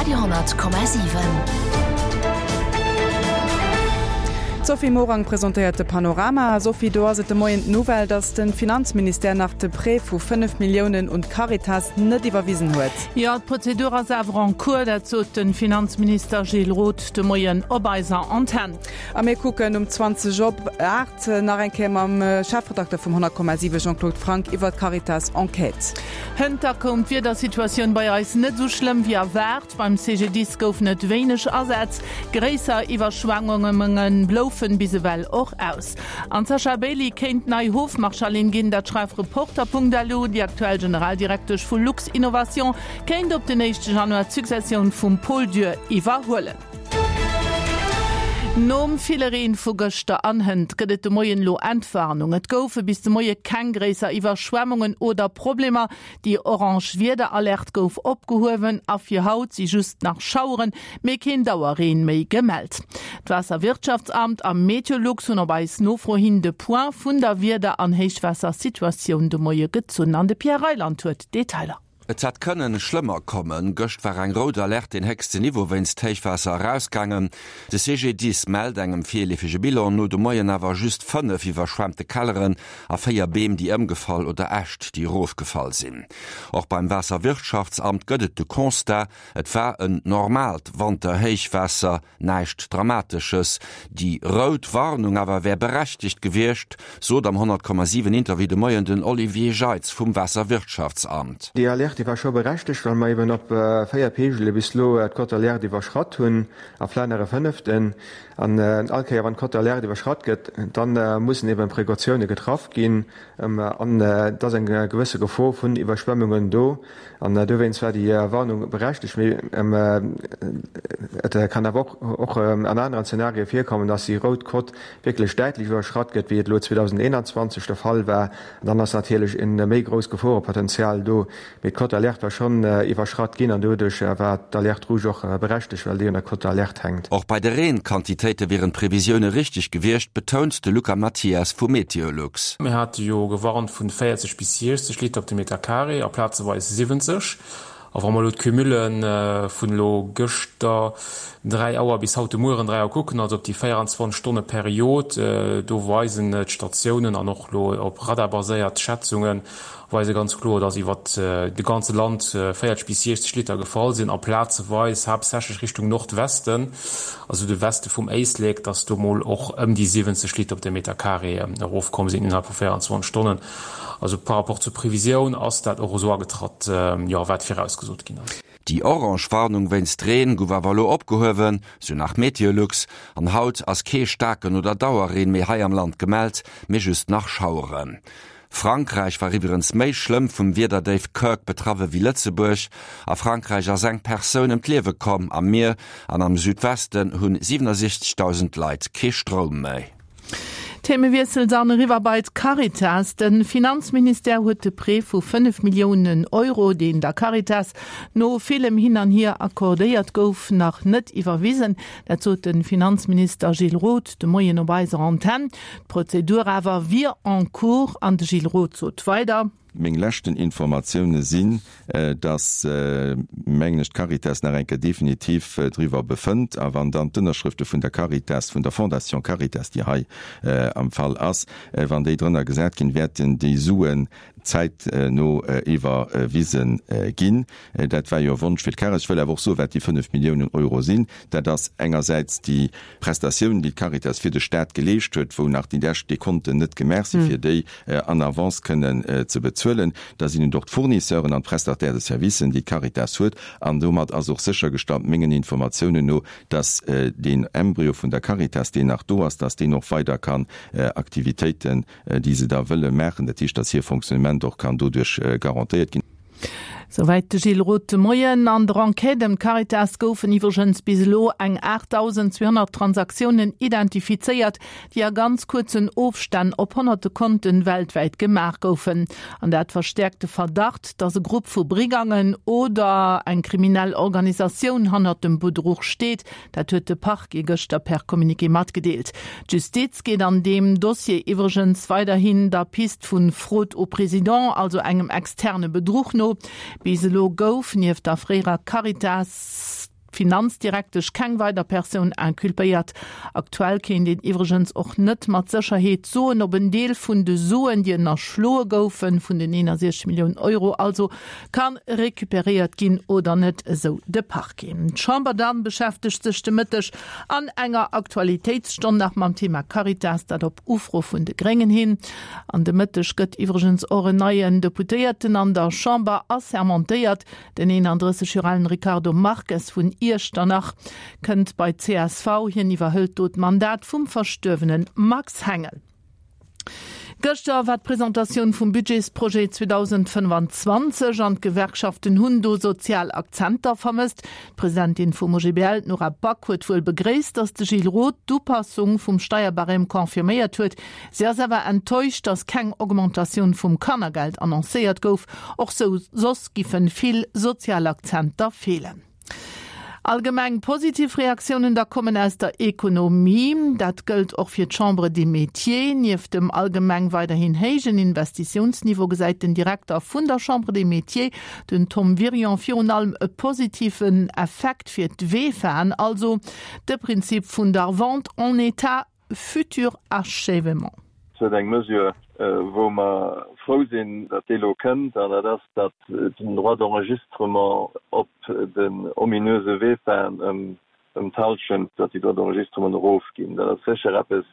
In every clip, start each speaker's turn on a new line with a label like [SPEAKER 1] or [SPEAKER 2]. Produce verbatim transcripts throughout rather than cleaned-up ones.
[SPEAKER 1] Radio honnert Komma siwen.
[SPEAKER 2] D'Sophie Morang presentéiert de Panorama. Sophie, do ass et de Moien d'Nouvelle, datt de Finanzministère nach de Prêt vu fënnef Milliounen un d'Caritas net iwwerwisen huet.
[SPEAKER 3] Jo, d'Prozedur ass awer en cours, dat sot de Finanzminister Gilles Roth de Moien op eiser Antenn.
[SPEAKER 2] A mir kucken um zwanzeg op aacht nach eng Kéier mam Chefredakter vum honnert Komma siwe Jean-Claude Franck iwwer d'Caritas-Enquête.
[SPEAKER 3] Hënter koum d'Wiedersituatioun bei eis net esou schlëmm wéi erwaart. Beim C G D I S goufen et wéineg Asätz, gréisser Iwwerschwemmunge bloufen bis ewell och aus. An d'Sasha Bailey kéint nei Hofmarschallin ginn, dat schreift Reporter Punkt L U. Déi aktuell Generaldirektesch vu Luxinnovation kéint op den éischte Januar d'Successioun vum Paul Dürr iwwerhuelen. Nom ville Reen vu gëschter an hënt gëtt et de Moien elo Entwarnung. Et goufe bis de Moie keng gréisser Iwwerschwemmungen oder Problemer. Déi orange Wiederalerte gouf opgehuewen a fir haut si just nach Schaueren, mee keen Dauerreen méi gemellt. D'Waasserwirtschaftsamt a Meteolux hunn op eis Nofro hin de Point vun der Wieder an Héichwaassersituatioun de Moie gezunn. An de Pierre Reyland huet d'Detailer.
[SPEAKER 4] Et hätt kënnen schlëmmer kommen. Gëscht war eng rout Alerte, den héchsten Niveau wéinst Héichwaasser, erausgaangen. De C G D I S mellt engem virleefege Bilan no de Moien awer just fënnef iwwerschwemmte Kelleren a véier Beem, déi ëmgefall oder Äscht, déi erofgefall sinn. Och beim Waasserwirtschaftsamt gëtt et de Constat, et war en normaalt Wanterhéichwaasser, näischt Dramatesches. Déi rout Warnung awer wär berechtegt gewiescht, sot am honnert Komma siwen Interview de Moien den Olivier Jeitz vum Waasserwirtschaftsamt.
[SPEAKER 5] Déi Alerte war scho berechtegt, well mer eben op véier Peegele bis elo d'Cote d'alerte iwwerschratt hunn, a vläicht nach e fënneften. An all Kéier, wann d'Cote d'alerte iwwerschratt gëtt, da mussen eben Precautioune getraff ginn an et ass eng gewësse Gefor vun Iwwerschwemmungen do. An dowéinst war déi Warnung berechtegt. Mee et kann awer och an aneren Zenarie virkommen, dass déi rout Cote wierklech däitlech iwwerschratt gëtt, wéi et elo zweedausendeenanzwanzeg de Fall war. An dann ass natierlech e méi grousst Geforepotenzial do. Mee d'Cote d'alerte war schonn iwwerschratt ginn an doduerch war d'Alerte rouge och berechtegt, well déi un der Cote d'alerte hänkt.
[SPEAKER 4] Och bei de Reenquantitéite wieren d'Previsioune richteg gewiescht, betount de Luca Mathias vu Meteolux.
[SPEAKER 6] Mir hate jo gewarnt vun véierzeg bis siechzeg Liter op de Meter Carré, a plazeweis siwwenzeg. A wa mer elo d'Cumule vun elo gëschter dräi Auer bis haut de Mueren dräi Auer kucken, also op déi véieranzwanzeg Stonne Period, do weisen d'Statiounen an och elo op Radar baséiert Schätzunge weise ganz kloer, dass iwwer de ganze Land véierzeg bis siechzeg Liter gefall sinn a plazeweis, haaptsächlech Richtung Nordwesten, also de Weste vum Éislek, dass do mol och ëm déi siwwenzeg Liter op de Meter Carré erofkomm sinn innerhalb vu véieranzwanzeg Stonnen. Also par rapport zur Previsioun ass dat och esou agetratt, jo, wat virausgesot ginn ass.
[SPEAKER 4] Déi orange Warnung wéinst Reen gouf awer elo opgehuewen, sou nach Meteolux. An haut ass kee staarken oder Dauerreen méi hei am Land gemellt, mee just nach Schaueren. Frankräich war iwwerens méi schlëmm vum Wiederdéif Kirk betraff ewéi Lëtzebuerg. A Frankräich ass eng Persoun ëm d'Liewe komm am Mier an am Südwesten hunn siwenundsechzegdausend Leit kee Stroum méi.
[SPEAKER 3] Themewiessel dann eriwwer bei d'Caritas. De Finanzministère huet de Prêt vu fënnef Milliounen Euro, deen der Caritas no villem Hin an Hier accordéiert gouf, nach net iwwerwisen. Dat sot de Finanzminister Gilles Roth de Moien op eiser Antenn. D'Prozedur awer wier en cours an de Gilles Roth sot weider:
[SPEAKER 7] Meng leschten Informatioune sinn, dass, mengen ech, d'Caritas nach eng Kéier definitiv driwwer befënnt a wann dann d'Ënnerschrëfte vun der Caritas, vun der Fondation Caritas, déi hei am Fall ass, wann déi drënner gesat ginn, wäerten déi Suen zäitno iwwerwise ginn. Dat war jo e Wonsch fir d'Caritas. Ech wëll awer och soen, wat déi fënnef Milliounen Euro sinn. Dat ass engersäits déi Prestatioun, déi d'Caritas fir de Staat geleescht huet, wou nach déi lescht Dekonten net gemaach sinn, fir déi en avance kënnen ze bezuelen. Da sinn et och d'Fournisseuren an d'Prestataires de services, déi d'Caritas huet. An domat ass och séchergestallt, mengen Informatiounen no, dass deen Embryo vun der Caritas, deen nach do ass, dass deen och weider kann Aktivitéiten, déi se da wëlle maachen, dat heescht, dass hir Fonctionnement och kann doduerch garantéiert ginn.
[SPEAKER 3] Souwäit de Gilles Roth de Moien. An der Enquête ëm d'Caritas goufen iwwregens bis elo eng aachtdausendzweehonnert Transaktiounen identifizéiert, déi a ganz kuerzen Ofstänn op honnerte Konten weltwäit gemaach goufen. An dat verstäerkt de Verdacht, datt e Grupp vu Brigangen oder eng kriminell Organisatioun hannert dem Bedruch steet. Dat huet de Parquet gëschter per Communiqué matgedeelt. D'Justiz geet an deem Dossier iwwregens weiderhin der Pist vu Fraude au président, also engem externe Bedruch no. Bis elo gouf nieft der fréierer Caritas Finanzdirektesch keng weider Persoun inculpéiert. Aktuell kéint een iwwregens och net mat Sécherheet soen, ob en Deel vun de Suen, déi ënnerschloe goufen, vun den eenundsechzeg Milliounen Euro also, ka recuperéiert ginn oder net, esou de Parquet. D'Chamber dann beschäftegt sech de Mëtteg an enger Aktualitéitsstonn nach mam Thema Caritas, dat op Ufro vun de Gréngen hin. An de Mëtteg gëtt iwwregens och en neien Deputéierten an der Chamber assermentéiert, Den eenanddrësseg Joer alen Ricardo Marques vun Iechternach kënnt bei d'CSV. Hien iwwerhëlt do d'Mandat vum verstuerwene Max Hengel. Gëschter war d'Presentatioun vum Budgetsprojet zweedausendfënnfanzwanzeg an d'Gewerkschaften hunn do sozial Akzenter vermësst. D'Presidentin vum O G B L, d'Nora Back, huet wuel begréisst, datt de Gilles Roth d'Upassung vum Steierbarème confirméiert huet. Si ass awer enttäuscht, datt keng Augmentatioun vum Kannergeld annoncéiert gouf. Och soss giffen vill sozial Akzenter feelen. Allgemeng positiv Reaktiounen da kommen aus der Ekonomie. Dat gëllt och fir d'Chambre des Métiers. Nieft dem allgemeng weiderhin héijen Investitiounsniveau gesäit den Direkter vun der Chambre des Métiers, den Tom Wirion, virun allem e positiven Effekt fir d'Vefaen, also de Prinzip vun der Vente en état futur achèvement.
[SPEAKER 8] Et eng Mesure, wou mer frou sinn, datt déi elo kënnt, an dat ass, datt den Droit d'enregistrement op den ominöse VEFAen ëm ëm d'Hallschent, datt déi Droits d'enregistrement erofginn. Dat ass sécher eppes,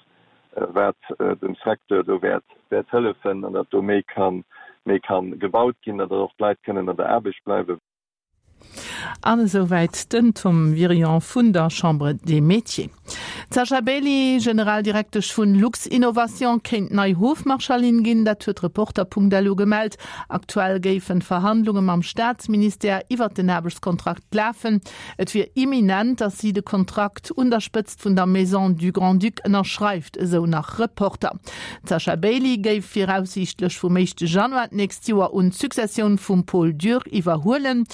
[SPEAKER 8] wat dem Secteur do wäert wäert hëllefen an datt do méi kann méi kann gebaut ginn, datt och d'Leit kënnen an der Aarbecht bleiwen.
[SPEAKER 3] An esouwäit den Tom Wirion vun der Chambre des Métiers. D'Sasha Bailey, Generaldirektesch vun Luxinnovation, kéint nei Hofmarschallin ginn, dat huet Reporter Punkt L U gemellt. Aktuell géifen d'Verhandlunge mam Staatsministère iwwert den Aarbechtskontrakt lafen. Et wier imminent, datt si de Kontrakt un der Spëtzt vun der Maison du Grand-Duc ënnerschreift, esou nach Reporter. D'Sasha Bailey géif viraussiichtlech vum éischte Januar d'nächst Joer un d'Successioun vum Paul Dürr iwwerhuelen.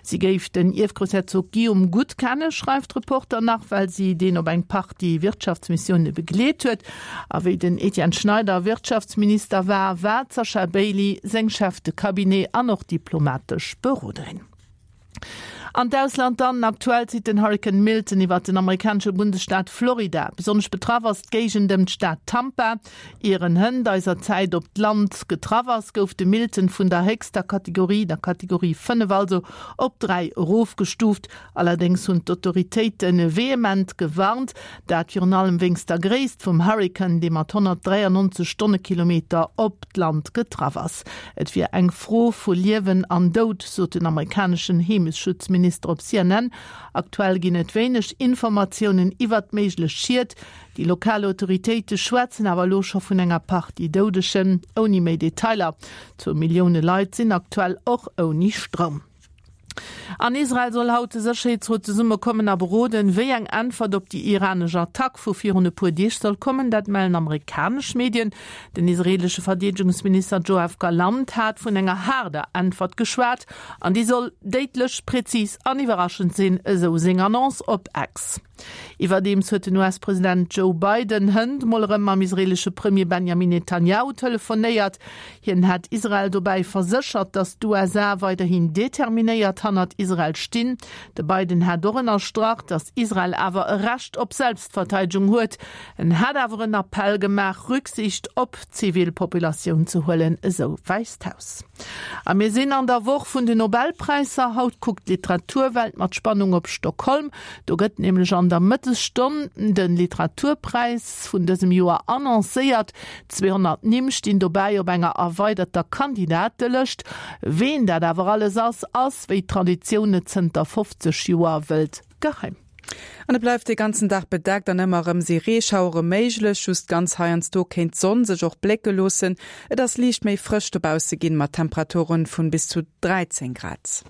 [SPEAKER 3] Si géif den Ierfgroussherzog Guillaume gutt kennen, schreift Reporter nach, well si deen op eng Partie Wirtschaftsmissioune begleet huet. A wéi den Etienne Schneider Wirtschaftsminister war, war d'Sasha Bailey seng Chef de Cabinet an och diplomatesch Beroderin. An d'Ausland dann, Aktuell zitt den Hurrikan Milton iwwer den amerikanesche Bundesstaat Florida. Besonnesch betraff ass d'Géigend ëm d'Stad Tampa. Ier en hënt eiser Zäit op d'Land getraff ass, gouf de Milton vun der héchster Kategorie, der Kategorie fënnef also, op dräi erofgestuuft. Allerdéngs hunn d'Autoritéite vehement gewarnt, dat virun allem wéinst der Gréisst vum Hurrikan, dee mat honnertdräiannonzeg Stonnekilometer op d'Land getraff ass. Et wier eng Fro vu Liewen an Doud, sot den amerikaneschen Heemeschutzminister op C N N. Aktuell ginn et wéineg Informatiounen iwwert méiglech Schied. Déi lokal Autoritéite schwätzen awer elo scho vun enger Partie Doudegen, ouni méi Detailer. Zwou Millioune Leit sinn aktuell och ouni Stroum. An Israel soll haut de Sécherheetsrot zesummekommen a beroden, wéi eng Äntwert op déi iranesch Attack vu virun e puer Deeg soll kommen. Dat mellen amerikanesch Medien. Den israeelesche Verdeedegungsminister Joav Galant hat vun enger haarder Äntwert geschwat an déi soll déidlech, prezis an iwwerraschend sinn, esou seng Annonce op X. Iwwerdeems huet den U S-President Joe Biden hënt mol erëm mam israeelesche Premier Benjamin Netanjahu telefonéiert. Hien hätt Israel dobäi verséchert, datt d'U S A weiderhin determinéiert hannert Israel stinn. De Biden hätt och ënnerstrach, datt Israel awer e Recht op Selbstverteidegung huet. En hätt awer en Appell gemaach, Rücksicht op d'Zivilpopulatioun ze huelen, esou d'Wäisst Haus. A mir sinn an der Woch vun den Nobelpräisser. Haut kuckt d'Literaturwelt mat Spannung op Stockholm. Do gëtt nämlech an der Mëttesstonn de Literaturpräis vun dësem Joer annoncéiert. Zweehonnert Nimm stinn dobäi op enger erweiderter Kandidatelëscht. Ween dat awer alles ass, ass, wéi d'Traditioun et zënter fofzeg Joer wëllt, geheim.
[SPEAKER 2] An et bleift de ganzen Dag bedeckt an ëmmer erëm si Reeschauere méiglech, just ganz heiansdo kéint d'Sonn sech och blécke loossen. Et ass liicht méi frësch dobausse ginn, mat Temperaturen vun bis zu dräizéng Grad.